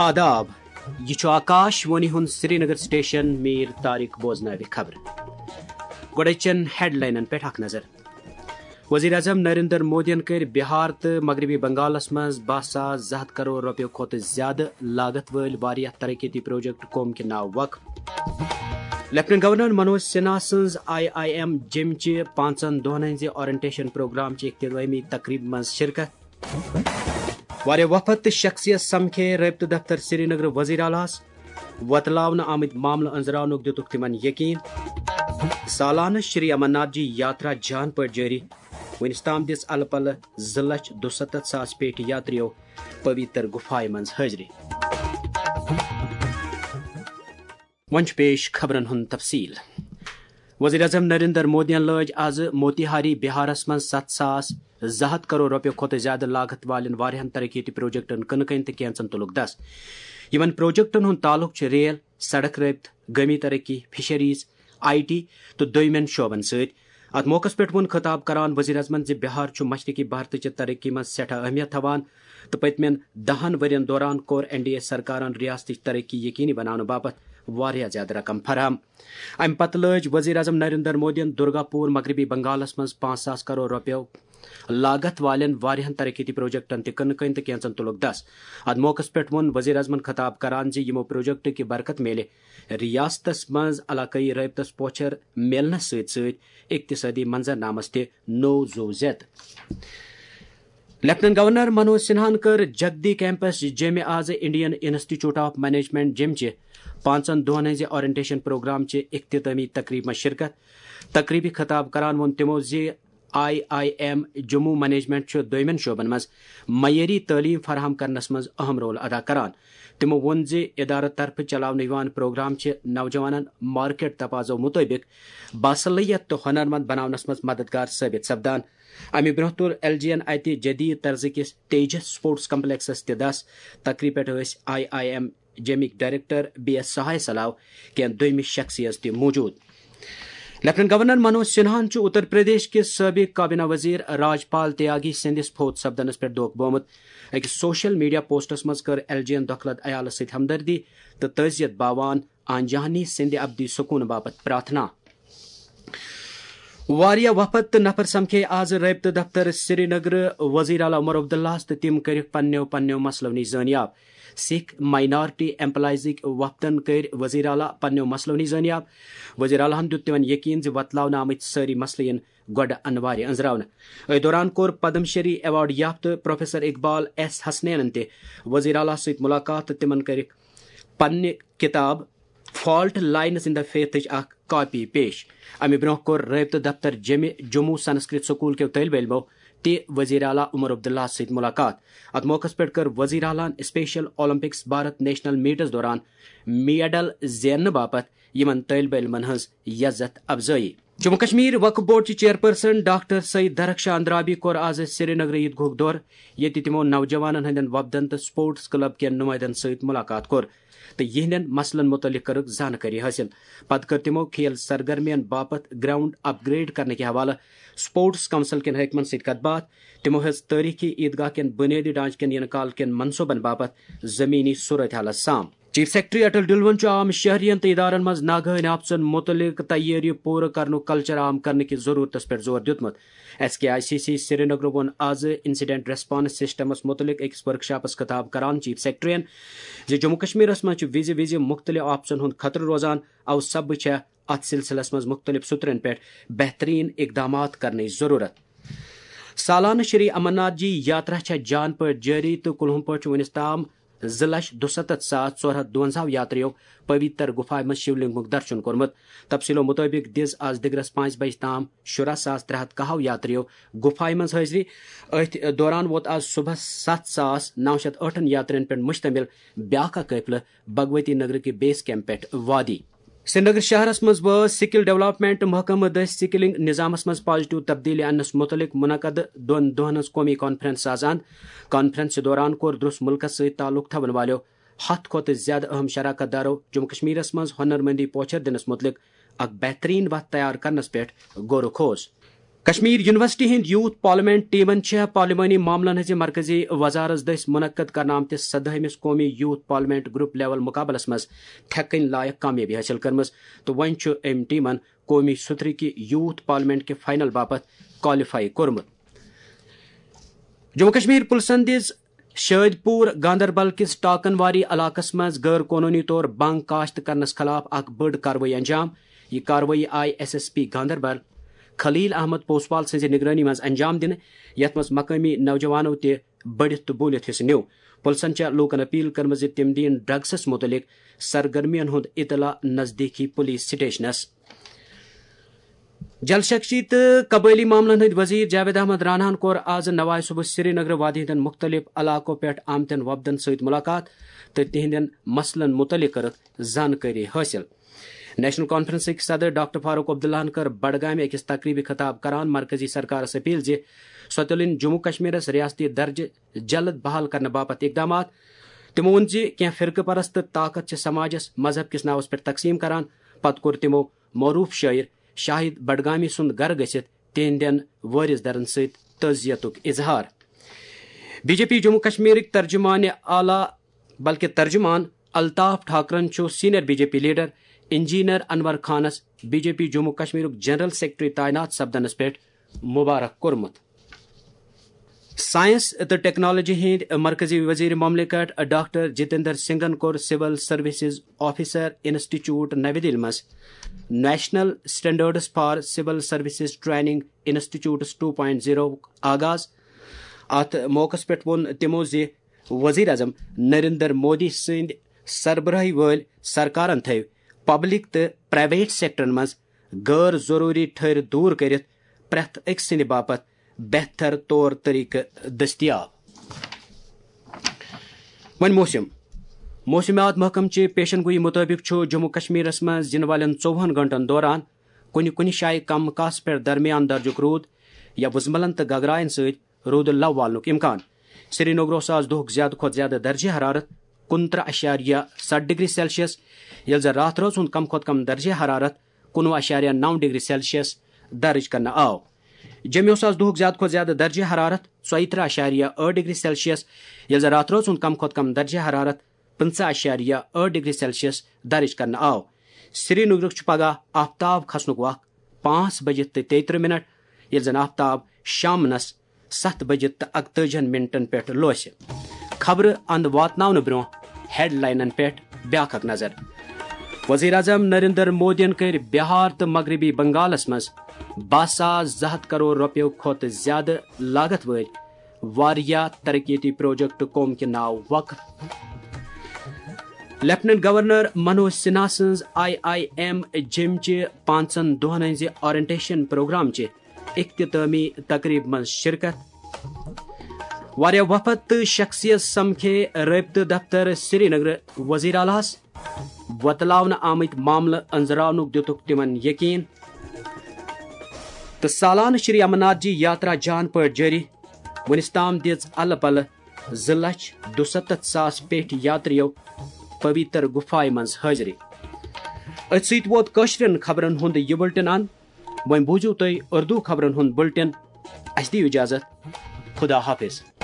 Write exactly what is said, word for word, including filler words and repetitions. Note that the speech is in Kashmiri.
آداب، یہِ چھُ آکاش وانی ہُنٛد سرینگر سٹیشن۔ میر طارق بوزناوِ خبرٕ۔ گۄڈٕ چٮ۪ن ہیڈلاینن پٮ۪ٹھ اکھ نظر۔ وزیر اعظم نریندر مودیَن کٔرۍ بہار تہٕ مغربی بنگالَس منٛز باہ ساس زٕ ہَتھ کرور رۄپیَو کھۄتہٕ زیادٕ لاگت وٲلۍ واریاہ ترقیتی پروجیکٹ قوم کہِ ناو وقف۔ لیفٹیننٹ گورنر منوج سنہا سٕنٛز آئی آئی ایم جیٚمہِ چہِ پانٛژن دۄہن ہٕنٛزِ اورینٹیشن پروگرام چہِ اختتٲمی تقریبہِ منٛز شرکت۔ واریاہ وفد تہٕ شخصیت سمکھے رٲبطہٕ دفتر سرینگر وزیر اعلیٰ ہَس۔ وۄتلاونہٕ آمٕتۍ معاملہٕ أنٛزراونُک دِتُکھ تِمن یقین۔ سالانہٕ شری امرناتھ جی یاترا جان پٲٹھۍ جٲری۔ وُنِس تام دِژ الہٕ پلہٕ زٕ لچھ دُسَتتھ ساس پیٹہِ یاتریو پویتر گُفایہِ منٛز حٲضری۔ وۄنۍ چھُ پیش خبرن ہُنٛد تفصیل۔ وزیر اعظم نریندر مودیَن لٲج آز موتیہاری بہارس منٛز ستھ ساس زٕ ہَتھ کرور رۄپیہِ کھۄتہٕ زیادٕ لاگت والٮ۪ن واریاہن ترقیتی پروجیکٹن کٕنہٕ کٔنۍ تہٕ کینژن تُلُکھ دس۔ یِمن پروجیکٹن ہُنٛد تعلق چھُ ریل، سڑک رٲبطہٕ، گٲمی ترقی، فشریز، آئی ٹی تہٕ دویمٮ۪ن شعبن سۭتۍ۔ اتھ موقعس پٮ۪ٹھ ووٚن خطاب کران وزیر اعظمن زِ بہار چھُ مشرقی بھارتٕچہِ ترقی منٛز سٮ۪ٹھاہ اہمیت تھاوان تہٕ پٔتمٮ۪ن دَہن ؤرین دوران کوٚر این ڈی اے سرکارن ریاستٕچ ترقی یقینی بناونہٕ باپتھ واریاہ زیادٕ رقم فراہم۔ امہِ پتہٕ لٲج وزیر اعظم نریندر مودیَن درگا پور مغربی بنگالس منٛز پانٛژھ ساس کرور رۄپیو لاگت والٮ۪ن واریاہن ترقیتی پروجیکٹن تہِ کٕنہٕ کٔنۍ تہٕ کینژن تُلُکھ دس۔ اتھ موقعس پٮ۪ٹھ ووٚن وزیر اعظمن خطاب کران زِ یِمو پروجیکٹو کہِ برکت میلہِ ریاستس منٛز علاقٲیی رٲبطس پوچھر میلنس سۭتۍ سۭتۍ اقتصٲدی منظرنامس تہِ نوٚو زُو زیتہٕ۔ لیفٹیننٹ گورنر منوج سنہاہن کٔر جگدی کیمپس جیٚمہِ آز انڈین انسٹیٹیوٹ آف مینجمنٹ جیٚمہِ چہِ پانٛژن دۄہن ہٕنٛزِ اورینٹیشن پروگرام چہِ اختتٲمی تقریبہِ منٛز شرکت۔ تقریبہِ خطاب کران ووٚن تِمو زِ I I M Jammu management چھُ دویمٮ۪ن شعبن منٛز معیٲری تعلیٖم فراہم کرنس منٛز اہم رول ادا کران۔ تِمو ووٚن زِ ادارٕ طرفہٕ چلاونہٕ یِوان پروگرام چھِ نوجوانن مارکیٹ تقاضو مُطٲبِق باصلٲحیت تہٕ ہُنر مند بناونس منٛز مددگار ثٲبت سپدان۔ امہِ برونٛہہ تُل ایل جی یَن اتہِ جدید طرزٕ کِس تیجس سپورٹس کمپلیکسس تہِ دس۔ تقریبہِ پٮ۪ٹھ ٲسۍ آئی آئی ایم جیٚمِکۍ ڈائریکٹر بی ایس سہائے سلاو کینٛہہ دوٚیمہِ شخصیژ تہِ موجود۔ لیفٹیننٹ گورنر منوج سنہاہن چھُ اتر پردیش کِس سٲبق کابینہ وزیر راج پال تیاگی سٕنٛدِس فوت سپدنس پٮ۪ٹھ دۄکھ بومُت۔ أکِس سوشل میڈیا پوسٹس منٛز کٔر ایل جی یَن دۄکھلت عیالس سۭتۍ ہمدردی تہٕ تعزیت باوان آنجہانی سٕنٛدِ ابدی سکوٗن باپتھ پرارتھنا۔ واریاہ وفد تہٕ نفر سمکھے آز رٲبطہٕ دفتر سرینگر وزیر اعلیٰ عمر عبداللہس تہٕ تِم کٔرِکھ پننیو پننیو مسلو نِش زٲنیاب۔ سکھ مائنارٹی ایمپلائزٕکۍ وفدن کٔرۍ وزیر اعلیٰ پننیو مسلو نِش زٲنیاب۔ وزیر اعلیٰ ہن دیُت تِمن یقین زِ وۄتلاونہٕ آمٕتۍ سٲری مسلہٕ یِن گۄڈٕ انوارِ أنٛزراونہٕ۔ أتھۍ دوران کوٚر پدم شری ایوارڈ یافتہٕ پروفیسر اقبال ایس حسنینن تہِ وزیر اعلیٰ سۭتۍ ملاقات تہٕ تِمن کٔرِکھ پننہِ کتاب فالٹ لائنز ان دا فیتھٕچ اکھ کاپی پیش۔ امہِ برونٛہہ کوٚر رٲبطہٕ دفتر جیٚمہِ جموں سنسکرت سکول کیو طٲلبہِ علمو تہِ وزیر اعلیٰ عمر عبداللہ سۭتۍ ملاقات۔ اتھ موقعس پٮ۪ٹھ کٔر وزیر اعلیٰ ہن Special Olympics Bharat national meets دوران میڈل زیننہٕ باپتھ یِمن طٲلبہِ علمن ہٕنٛز یزتھ افزٲیی۔ جموں کشمیر وقف بورڈ چہِ چیئرپرسن ڈاکٹر سعید درخشان اندرابی کوٚر آز سرینگر عیدگاہُک دورٕ، ییٚتہِ تِمو نوجوانن ہٕنٛدٮ۪ن وفدن تہٕ سپورٹس کلب کٮ۪ن نمائندن سۭتۍ ملاقات کوٚر تہٕ یِہنٛدٮ۪ن مسلن متعلق کٔرٕکھ زانکٲری حٲصِل۔ پتہٕ کٔر تِمو کھیل سرگرمین باپتھ گراؤنڈ اپ گریڈ کرنہٕ کہِ حوالہٕ سپورٹس کونسل کٮ۪ن حٲکمن سۭتۍ کتھ باتھ۔ تِمو ہیٚژ تٲریخی عیدگاہ کٮ۪ن بنیٲدی ڈھانچہٕ کٮ۪ن یِنہٕ کال کٮ۪ن منصوبن باپتھ زمینی صورت حالس سام۔ چیف سیکرٹری اٹل ڈلون چھُ عام شہرین تہٕ ادارن منٛز ناگہٲنۍ آفژن متعلق تیٲری پوٗرٕ کرنُک کلچر عام کرنہٕ کِس ضرورتس پٮ۪ٹھ زور دیُتمُت۔ S K I C C Srinagar ووٚن آز انسیڈنٹ ریسپانس سسٹمس متعلق أکِس ورکشاپس خطاب کران چیف سیکرٹریَن زِ جموں کشمیرس منٛز چھُ وِزِ وِزِ مُختٔلِف آفژن ہُنٛد خطرٕ روزان، اوٕ سببہٕ چھےٚ اتھ سلسلس منٛز مُختٔلِف سطرن پٮ۪ٹھ بہترین اقدامات کرنٕچ ضرورت۔ سالانہٕ شری امرناتھ جی یاترا چھےٚ جان پٲٹھۍ جٲری تہٕ کُلہُم پٲٹھۍ چھُ وُنِس تام زٕ لچھ دُسَتتھ ساس ژور ہتھ دُوَنزاہ یاتریو پویتر گُفایہِ منٛز شیولنگُک درشن کوٚرمُت۔ تفصیلو مُطٲبِق دِژ آز دِگرس پانٛژِ بجہِ تام شُراہ ساس ترٛےٚ ہتھ کاہو یاتریو گُفایہِ منٛز حٲضری۔ أتھۍ دوران ووت آز صبحس ستھ ساس نو شتھ ٲٹھن یاترین پٮ۪ٹھ مشتمل بیاکھ اکھ قٲفلہٕ بھگوتی نگر کہِ بیس کیمپ پٮ۪ٹھ وادی۔ سرینگر شہرس منٛز وٲژ سکل ڈیولپمنٹ محکمہٕ دٔسۍ سکلنگ نظامس منٛز پازیٹیو تبدیلی اننس متعلق منعقد دۄن دۄہن ہٕنٛز قومی کانفرنس سازان۔ کانفرنس دوران کوٚر درس ملکس سۭتۍ تعلق تھاون والٮ۪و ہتھ کھۄتہٕ زیادٕ اہم شراکت دارو جموں کشمیرس منٛز ہنر مندی پوچھر دِنس متعلق اکھ بہترین وتھ تیار کرنس پٮ۪ٹھ غور و خوض۔ کشمیر یونیورسٹی ہٕنٛدۍ یوتھ پارلیمنٹ ٹیمن چھےٚ پارلیمانی معاملن ہٕنٛزِ مرکزی وزارت دٔسۍ منعقد کرنہٕ آمتِس سدٲہمِس قومی یوتھ پارلیمنٹ گروپ لیول مقابلس منٛز تھٮ۪کٕنۍ لایق کامیٲبی حٲصِل کٔرمٕژ تہٕ وۄنۍ چھُ أمۍ ٹیمن قومی سترٕکہِ یوتھ پارلیمنٹ کہِ فائنل باپتھ کوالیفائی کوٚرمُت۔ جموں کشمیر پُلسن دِژ شٲدۍ پوٗر گاندربل کِس ٹاکن واری علاقس منٛز غٲر قونوٗنی طور بنٛگ کاشت کرنس خلاف اکھ بٔڑ کاروٲیی انجام۔ یہِ کاروٲیی آیہِ ایس ایس پی گاندربل خلیل احمد پوسوال سٕنٛزِ نگرٲنی منٛز انجام دِنہٕ، یتھ منٛز مقٲمی نوجوانو تہِ بٔڑِتھ تہٕ بوٗلِتھ حصہٕ نیوٗ۔ پُلسن چھےٚ لوٗکن اپیل کٔرمٕژ زِ تِم دِیِن ڈرگسس مُتعلق سرگرمین ہُنٛد اطلاع نزدیٖکی پُلیٖس سٹیشنس۔ جل شکتی تہٕ قبٲئلی معاملن ہٕنٛدۍ وزیر جاوید احمد راناہن کوٚر آز نوائے صبح سری نگر وادی ہٕنٛدٮ۪ن مُختٔلِف علاقو پٮ۪ٹھ آمتٮ۪ن وفدن سۭتۍ مُلاقات تہٕ تِہنٛدٮ۪ن مسلن مُتعلق کٔرٕکھ زانکٲری حٲصِل۔ نیشنل کانفرنسٕکۍ صدر ڈاکٹر فاروق عبداللہن کٔر بڈگامہِ أکِس تقریبہِ خطاب کران مرکزی سرکارس اپیل زِ سۄ تُلٕنۍ جموں کشمیرس ریاستی درجہٕ جلد بحال کرنہٕ باپتھ اقدامات۔ تِمو ووٚن زِ کینٛہہ فرقہٕ پرست طاقت چھِ سماجس مذہب کِس ناوس پٮ۪ٹھ تقسیٖم کران۔ پتہٕ کوٚر تِمو معروف شٲعر شاہد بڈگامی سُنٛد گرٕ گٔژھِتھ تِہنٛدٮ۪ن وٲرِث درن سۭتۍ تعزیتُک اظہار۔ بی جے پی جموں کشمیرٕکۍ ترجمان اعلیٰ بلکہِ ترجمان الطاف ٹھاکرن چھُ senior B J P leader engineer Anwar خانس بی جے پی جموں کشمیرُک جنرل سیکرٹری تعینات سپدنس پٮ۪ٹھ مبارک کوٚرمُت۔ سائنس تہٕ ٹیکنالوجی ہٕنٛدۍ مرکزی وزیر مملکت ڈاکٹر جتیندر سنگھن کوٚر سول سروسز آفیسر انسٹیٹیوٹ نَوِ دِلہِ منٛز national standards for civil services training institutes two point زیروُک آغاز۔ اتھ موقعس پٮ۪ٹھ ووٚن تِمو زِ وزیر اعظم نریندر مودی سٕنٛدِ سربراہی وٲلۍ سرکارن تھٲوۍ پبلک تہٕ پرائیویٹ سیکٹرن منٛز غٲر ضروٗری ٹھٔرۍ دوٗر کٔرِتھ پرٛٮ۪تھ أکۍ سٕنٛدِ باپتھ بہتر طور طریقہٕ دٔستیاب۔ وۄنۍ موسم۔ موسمیات محکمہٕ چہِ پیشن گویی مُطٲبِق چھُ جموں کشمیرس منٛز یِنہٕ والٮ۪ن ژوٚوُہن گھنٹن دوران کُنہِ کُنہِ جایہِ کم کاسہٕ پٮ۪ٹھ درمیان درجُک روٗد یا وُزملن تہٕ گگراین سۭتۍ روٗدٕ لو والنُک امکان۔ سری نگرس آز دۄہُک زیادٕ کھۄتہٕ زیادٕ درجہ حرارت کُنترٕہ اَشاریہ ستھ ڈگری سیلسیس، ییٚلہِ زن راتھ رٲژ ہُنٛد کم کھۄتہٕ کم درجہ حرارت کُنوُہ اَشاریہ نَو ڈگری سیلسیس درج کرنہٕ آو۔ جوٚمہِ اوس آز دۄہُک زیادٕ کھۄتہٕ زیادٕ درجہ حرارت ژۄیہِ ترٕہ اَشاریہ ٲٹھ ڈگری سیلسیس، ییٚلہِ زن راتھ رٲژ ہُنٛد کم کھۄتہٕ کم درجہ حرارت پٕنٛژٕہ اَشاریہ ٲٹھ ڈگری سیلسیس درج کرنہٕ آو۔ سری نگرُک چھُ پگاہ آفتاب کھسنُک وق پانٛژھ بجہِ تہٕ تیٚیہِ ترٕہ منٹ، ییٚلہِ زن آفتاب شامنس ستھ بجہِ تہٕ اکتٲجِہن منٹن پٮ۪ٹھ لوسہِ۔ خبرٕ اند واتناونہٕ برونٛہہ ہیڈ لاینن پٮ۪ٹھ بیاکھ اکھ نظر۔ وزیر اعظم نریندر مودیَن کٔرۍ بہار تہٕ مغربی بنگالس منٛز باہ ساس زٕ ہتھ کرور رۄپیو کھۄتہٕ زیادٕ لاگت وٲلۍ واریاہ ترقیتی پروجیکٹ قوم کہِ ناو وقف۔ لیفٹیننٹ گورنر منوج سنہا سٕنٛز آئی آئی ایم جیمچہِ پانٛژن دۄہن ہٕنٛزِ اورینٹیشن پروگرام چہِ اختتامی تقریب منٛز شرکت۔ واریاہ وفد تہٕ شخصیت سمکھے رٲبطہٕ دفتر سری نگر وزیر اعلیٰ ہس۔ وۄتلاونہٕ آمٕتۍ معاملہٕ أنٛزراونُک دِتُکھ تِمن یقین۔ تہٕ سالانہٕ شری امرناتھ جی یاترا جان پٲٹھۍ جٲری۔ وُنِس تام دِژ الہٕ پلہٕ زٕ لچھ دُستتھ ساس پیٹھ یاتریو پویتر گُفایہِ منٛز حٲضری۔ أتھۍ سۭتۍ ووت کٲشرٮ۪ن خبرن ہُنٛد یہِ بُلٹن اند۔ وۄنۍ بوٗزِو تُہۍ اردو خبرن ہُنٛد بُلٹن۔ اَسہِ دِیِو اجازت۔ خدا حافظ۔